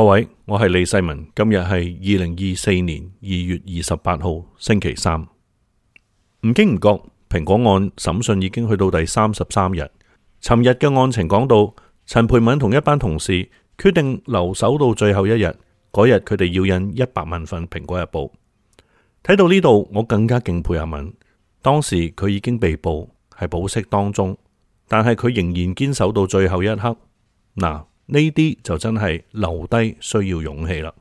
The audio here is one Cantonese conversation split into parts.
各位，我係李世民，今日係2024年2月28號星期三。唔經唔覺，蘋果案審訊已經去到第33日。尋日嘅案情講到，陳培敏同一班同事決定留守到最後一日，嗰日佢哋要印100萬份蘋果日報。睇到呢度，我更加敬佩阿敏。當時佢已經被捕，係保釋當中，但係佢仍然堅守到最後一刻。嗱，呢啲就真係留低需要勇氣啦。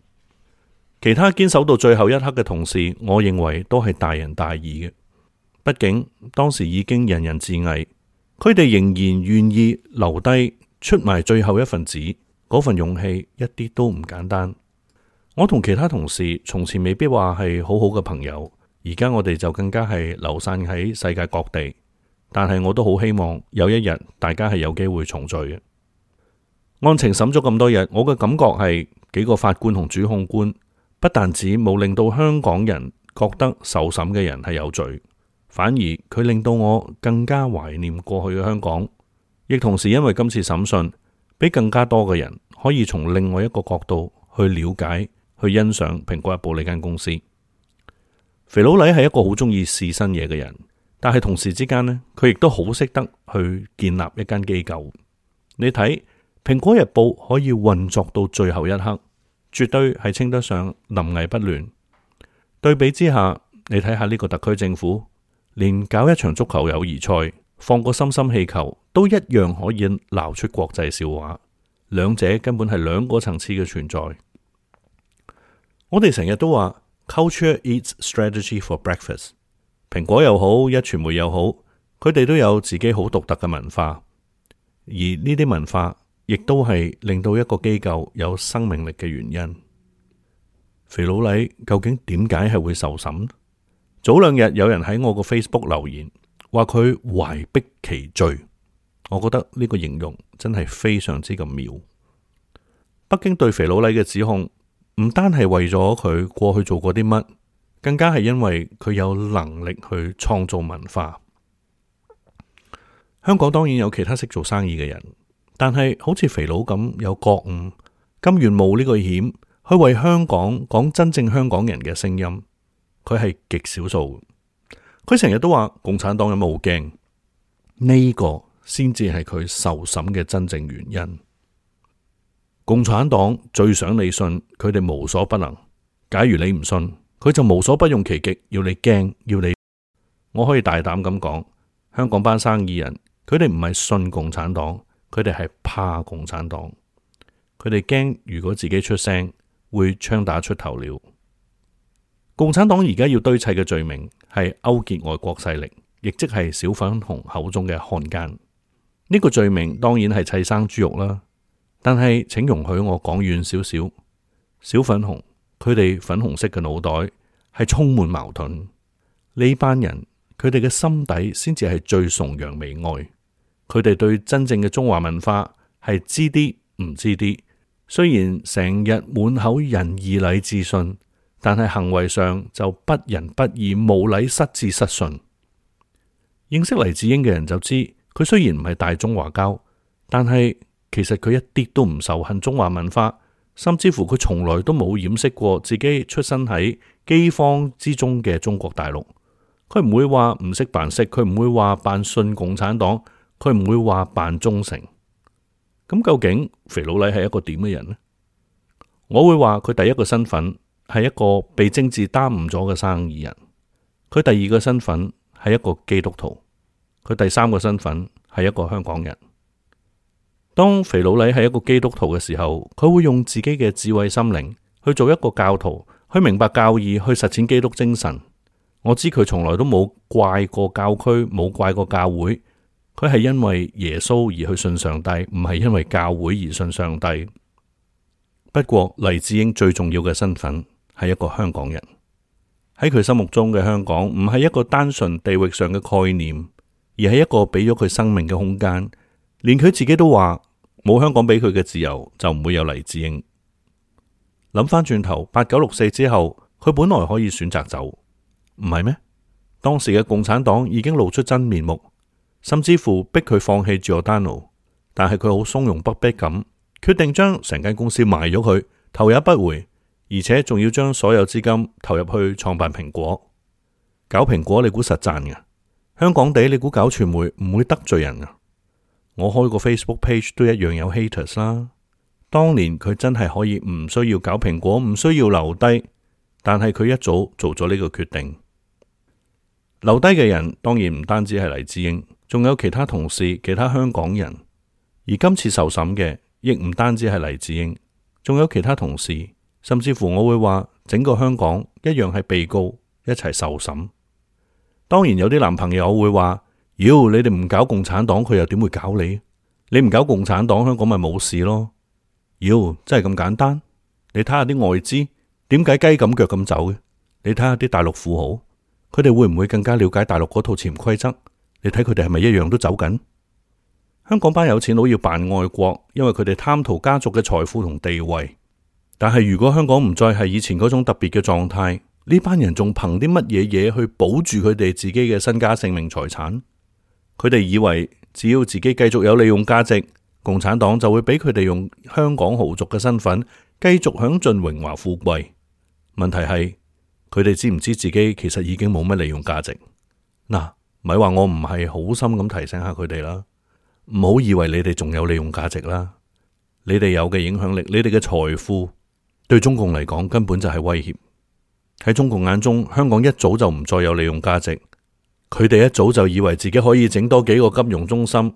其他堅守到最後一刻嘅同事，我認為都係大仁大義嘅。畢竟當時已經人人自危，佢哋仍然願意留低出埋最後一份紙，嗰份勇氣一啲都唔簡單。我同其他同事從前未必話係好好嘅朋友，而家我哋就更加係流散喺世界各地。但係我都好希望有一日大家係有機會重聚嘅。案情審咗咁多日，我嘅感覺係幾個法官同主控官不但止冇令到香港人覺得受審嘅人係有罪，反而佢令到我更加懷念過去嘅香港，亦同時因為今次審訊，俾更加多嘅人可以從另外一個角度去了解、去欣賞蘋果日報呢間公司。肥佬黎係一個好中意試新嘢嘅人，但係同時之間呢，佢亦都好識得去建立一間機構。你睇蘋果日報可以運作到最後一刻，絕對係稱得上臨危不亂。對比之下，你睇下呢個特區政府，連搞一場足球友誼賽，放個心心氣球，都一樣可以鬧出國際笑話。兩者根本係兩個層次嘅存在。我哋成日都話 Culture eats strategy for breakfast。蘋果又好，壹傳媒又好，佢哋都有自己好獨特嘅文化，而呢啲文化亦都係令到一個機構有生命力嘅原因。肥佬黎究竟點解係會受審？早兩日有人喺我個 Facebook 留言，話佢懷璧其罪。我覺得呢個形容真係非常之咁妙。北京對肥佬黎嘅指控，唔單係為咗佢過去做過啲乜，更加係因為佢有能力去創造文化。香港當然有其他識做生意嘅人，但係好似肥佬咁有覺悟，甘願冒呢個險去為香港講真正香港人嘅聲音，佢係極少數。佢成日都話共產黨有冇好驚？呢個先至係佢受審嘅真正原因。共產黨最想你信，佢哋無所不能。假如你唔信，佢就無所不用其極，要你驚，要你。我可以大膽咁講，香港班生意人，佢哋唔係信共產黨，佢哋係怕共產黨。佢哋驚如果自己出聲，會槍打出頭鳥。共產黨而家要堆砌嘅罪名係勾結外國勢力，亦即係小粉紅口中嘅漢奸。呢個罪名當然係砌生豬肉啦。但係請容許我講遠少少，小粉紅佢哋粉紅色嘅腦袋係充滿矛盾。呢班人佢哋嘅心底先至係最崇洋媚外，佢哋對真正嘅中華文化係知啲唔知啲。雖然成日滿口仁義禮智信，但係行為上就不仁不義、無禮失智失信。認識黎智英嘅人就知，佢雖然唔係大中華膠，但係其實佢一啲都唔仇恨中華文化，甚至乎佢從來都冇掩飾過自己出身喺饑荒之中嘅中國大陸。佢唔會話唔識扮識，佢唔會話扮信共產黨，佢唔會話扮忠誠。咁究竟肥佬黎係一個點嘅人呢？我會話佢第一個身份係一個被政治耽誤咗嘅生意人，佢第二個身份係一個基督徒，佢第三個身份係一個香港人。當肥佬黎係一個基督徒嘅時候，佢會用自己嘅智慧心靈去做一個教徒，去明白教義，去實踐基督精神。我知佢從來都冇怪過教區，冇怪過教會，佢係因為耶穌而去信上帝，唔係因為教會而信上帝。不過黎智英最重要嘅身份係一個香港人，喺佢心目中嘅香港唔係一個單純地域上嘅概念，而係一個俾咗佢生命嘅空間。連佢自己都話，冇香港俾佢嘅自由，就唔會有黎智英。諗翻轉頭，8964之後，佢本來可以選擇走，唔係咩？當時嘅共產黨已經露出真面目，甚至乎逼佢放棄Giordano，但係佢好從容不迫咁，決定將成間公司賣咗佢，頭也不回，而且仲要將所有資金投入去創辦蘋果。搞蘋果你估實賺嘅？香港地你估搞傳媒唔會得罪人啊？我開個 Facebook page 都一樣有 haters 啦。當年佢真係可以唔需要搞蘋果，唔需要留低，但係佢一早做咗呢個決定。留低嘅人當然唔單止係黎智英，仲有其他同事、其他香港人。而今次受審嘅亦唔單止係黎智英，仲有其他同事，甚至乎我會話整個香港一樣係被告一齊受審。當然有啲男朋友會話，妖，你哋唔搞共產黨，佢又點會搞你？你唔搞共產黨，香港咪冇事咯？妖，真係咁簡單？你睇下啲外資點解雞咁腳咁走嘅？你睇下啲大陸富豪，佢哋會唔會更加了解大陸嗰套潛規則？你睇佢哋係咪一樣都走緊？香港班有錢佬要扮愛國，因為佢哋貪圖家族嘅財富同地位。但係如果香港唔再係以前嗰種特別嘅狀態，呢班人仲憑啲乜嘢嘢去保住佢哋自己嘅身家性命財產？佢哋以為只要自己繼續有利用價值，共產黨就會俾佢哋用香港豪族嘅身份繼續享盡榮華富貴。問題係佢哋知唔知自己其實已經冇乜利用價值？嗱，咪話我唔係好心咁提醒下佢哋啦，唔好以為你哋仲有利用價值啦。你哋有嘅影響力，你哋嘅財富對中共嚟講根本就係威脅。喺中共眼中，香港一早就唔再有利用價值，佢哋一早就以為自己可以整多幾個金融中心，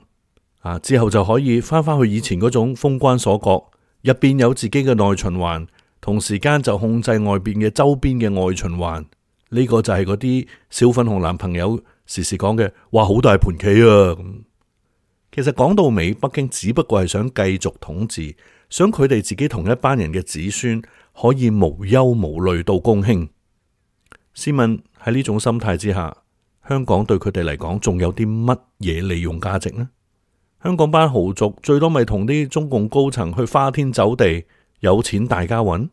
之後就可以翻返去以前嗰種封關鎖國，入邊有自己嘅內循環，同時間就控制外邊嘅周邊嘅外循環。呢個就係嗰啲小粉紅男朋友時時講嘅，哇，好大盤棋啊！其實講到尾，北京只不過係想繼續統治，想佢哋自己同一班人嘅子孫可以無憂無慮到公興。試問喺呢種心態之下，香港對佢哋嚟講仲有啲乜嘢利用價值呢？香港班豪族最多咪同啲中共高層去花天酒地，有錢大家揾。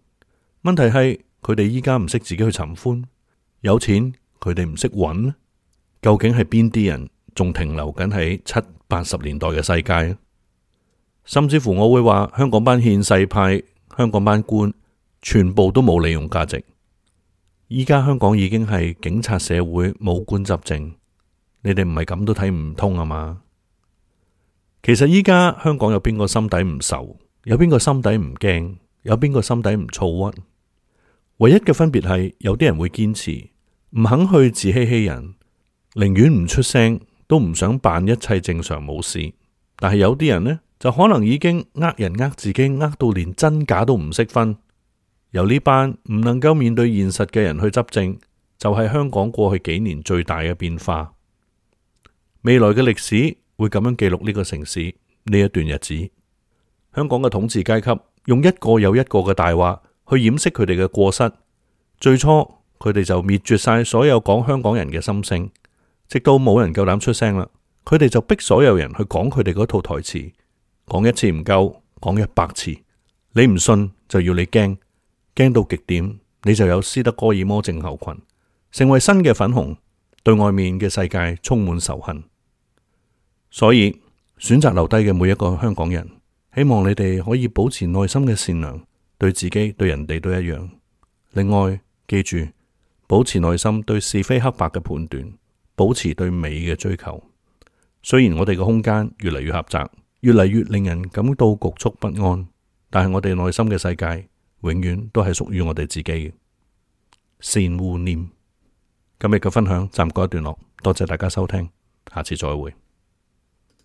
問題係佢哋依家唔識自己去尋歡，有錢佢哋唔識揾。究竟係邊啲人仲停留緊喺7、80年代嘅世界？甚至乎我會話香港班憲世派、香港班官全部都冇利用價值。依家香港已經係警察社會，武官執政，你哋唔係咁都睇唔通啊嘛？其實依家香港有邊個心底唔愁，有邊個心底唔驚，有邊個心底唔躁鬱？唯一嘅分別係有啲人會堅持，唔肯去自欺欺人，寧願唔出聲，都唔想扮一切正常冇事。但係有啲人呢，就可能已經呃人呃自己，呃到連真假都唔識分。由呢班唔能夠面對現實嘅人去執政，就係香港過去幾年最大嘅變化。未來嘅歷史會咁樣記錄呢個城市呢一段日子。香港嘅統治階級用一個又一個嘅大話去掩飾佢哋嘅過失。最初佢哋就滅絕晒所有講香港人嘅心聲，直到冇人夠膽出聲啦，佢哋就逼所有人去講佢哋嗰套台詞，講一次唔夠，講100次。你唔信就要你驚。驚到極點，你就有斯德哥爾摩症候群，成為新嘅粉紅，對外面嘅世界充滿仇恨。所以選擇留低嘅每一個香港人，希望你哋可以保持內心嘅善良，對自己對人哋都一樣。另外，記住保持內心對是非黑白嘅判斷，保持對美嘅追求。雖然我哋嘅空間越嚟越狹窄，越嚟越令人感到局促不安，但係我哋內心嘅世界永遠都係屬於我哋自己嘅。善護念。今日嘅分享暫告一段落，多謝大家收聽，下次再會。